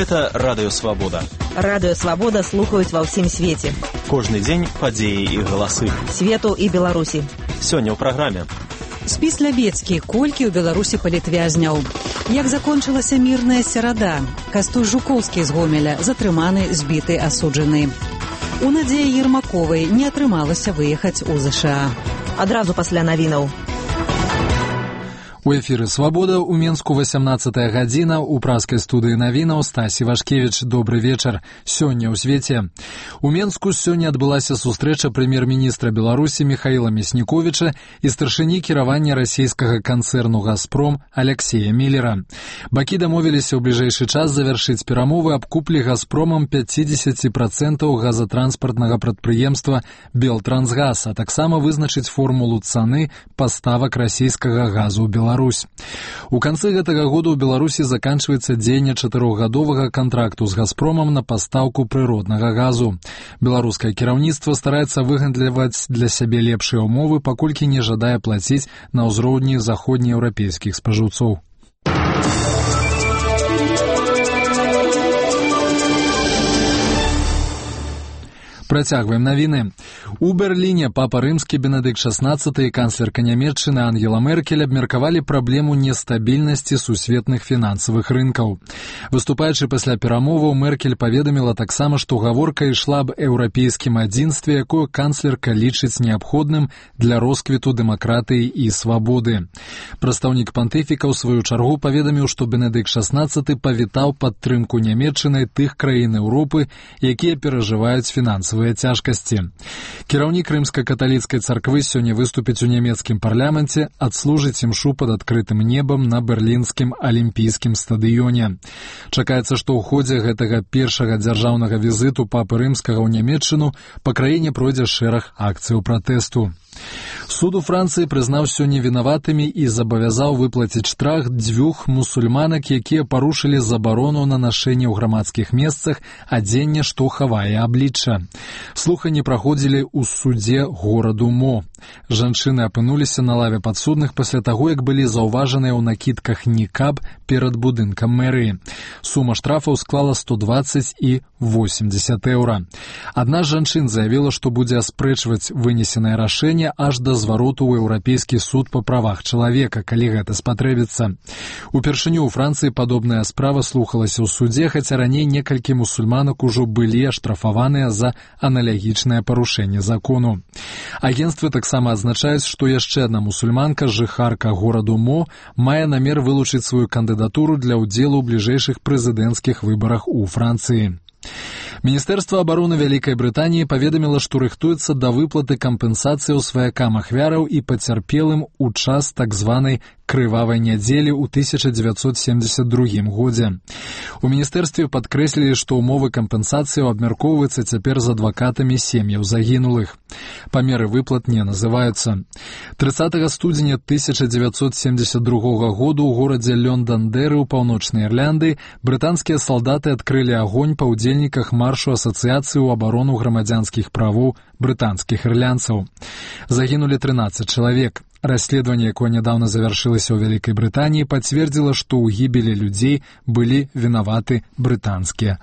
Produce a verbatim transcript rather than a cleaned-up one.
Гэта Радыё Свабода. Радыё Свабода слухаюць ва ўсім свеце. Кожны дзень падзеі і галасы. Свету і Беларусі. Сёння ў праграме. Спіс Лябецкі. Колькі ў Беларусі палітвязняў? Як закончылася мірная серада? Кастуй Жукоўскі з Гомеля затрыманы, збіты, асуджаны. У Надзеі Ермаковай не атрымалася выехаць у ЗША. Адразу пасля навінаў. У эфіры «Свабода» у Менску васямнаццатая гадзіна, у праскай студыі навінаў Стасі Вашкевіч. Добры вечар. Сёння ў свеце. У Менску сёння адбылася сустрэча прэм'ер-міністра Беларусі Михаіла Мясніковіча і старшыні кіравання расійскага канцэрну «Газпром» Алексея Міллера. Бакі дамовіліся ў бліжэйшы час завяршыць перамовы аб куплі «Газпромам» пяцьдзесят працэнтаў газатранспартнага прадпрыемства «Белтрансгаз», а таксама вызначыць формулу цаны паставак расійскага газу ў Беларусь. У канцы гэтага года ў Беларусі заканчваецца дзеянне чатырохгадовага кантракту з «Газпромам» на пастаўку прыроднага газу. Беларускае кіраўніцтва стараецца выгандліваць для сябе лепшыя ўмовы, паколькі не жадае плаціць на ўзроўні заходнееўрапейскіх спажыўцоў. Працягваем навіны. У Берліне папа рымскі Бенедыкт шаснаццаты і канцлерка Нямецчыны Ангела Меркель абмеркавалі праблему нестабільнасці сусветных фінансавых рынкаў. Выступаючы пасля перамоваў, Меркель паведаміла таксама, што гаворка ішла аб еўрапейскім адзінстве, якое канцлерка лічыць неабходным для росквіту дэмакратыі і свабоды. Прадстаўнік пантыфіка ў сваю чаргу паведаміў, што Бенедыкт шаснаццаты павітаў падтрымку Нямецчыны тых краін Еўропы, якія перажываюць фінансавыя цяжкасці. Кіраўнік рымска-каталіцкай царквы сёння выступіць у нямецкім парламенце, адслужыць імшу пад адкрытым небам на берлінскім алімпійскім стадыёне. Чакаецца, што ў ходзе гэтага першага дзяржаўнага візіту папы рымскага ў Нямецчыну па краіне пройдзе шэраг акцыяў пратэсту. Суд у Францыі прызнаў сёння вінаватымі і забавязаў выплаціць штраф дзвюх мусульманак, якія парушылі забарону на нашэнне ў грамадскіх месцах адзення, што хавае аблічча. Слуханні праходзілі ў судзе гораду Мо. Жанчыны апынуліся на лаве падсудных пасля таго, як былі заўважаныя ў накідках нікаб перад будынкам мэрыі. Сума штрафаў склала сто дваццаць і восемьдесят еўра. Адна з жанчын заявіла, што будзе аспрэчваць вынесенае рашэнне аж да звароту ў Еўрапейскі суд па правах чалавека, калі гэта спатрэбіцца. Упершыню ў Францыі падобная справа слухалася ў судзе, хаця раней некалькі мусульманак ужо былі аштрафаваныя за аналагічнае парушэнне закону. Агенцтвы таксама адзначаюць, што яшчэ адна мусульманка, жыхарка гораду Мо, мае намер вылучыць сваю кандыдатуру для ўдзелу ў бліжэйшых прэзідэнцкіх выбарах у Францыі. Міністэрства абароны Вялікай Брытаніі паведаміла, што рыхтуецца да выплаты кампенсацыі ў сваякам ахвяраў і пацярпелым у час так званай крывавай нядзелі ў тысяча дзевяцьсот семьдесят другім годзе. У міністэрстве падкрэслілі, што ўмовы кампенсацыі абмяркоўваюцца цяпер з адвакатамі сем'яў загінулых. Памеры выплат не называюцца. трыццатага студзеня тысяча дзевяцьсот семьдесят другога году ў горадзе Лёндандэры ў паўночнай Ірландыі брытанскія салдаты адкрылі агонь па ўдзельніках маршу асацыяцыі ў абарону грамадзянскіх правоў брытанскіх ірландцаў. Загінулі трынаццаць чалавек. Расследаванне, якое нядаўна завяршылася ў Вялікай Брытаніі, пацвердзіла, што ў гібелі людзей былі вінаваты брытанскія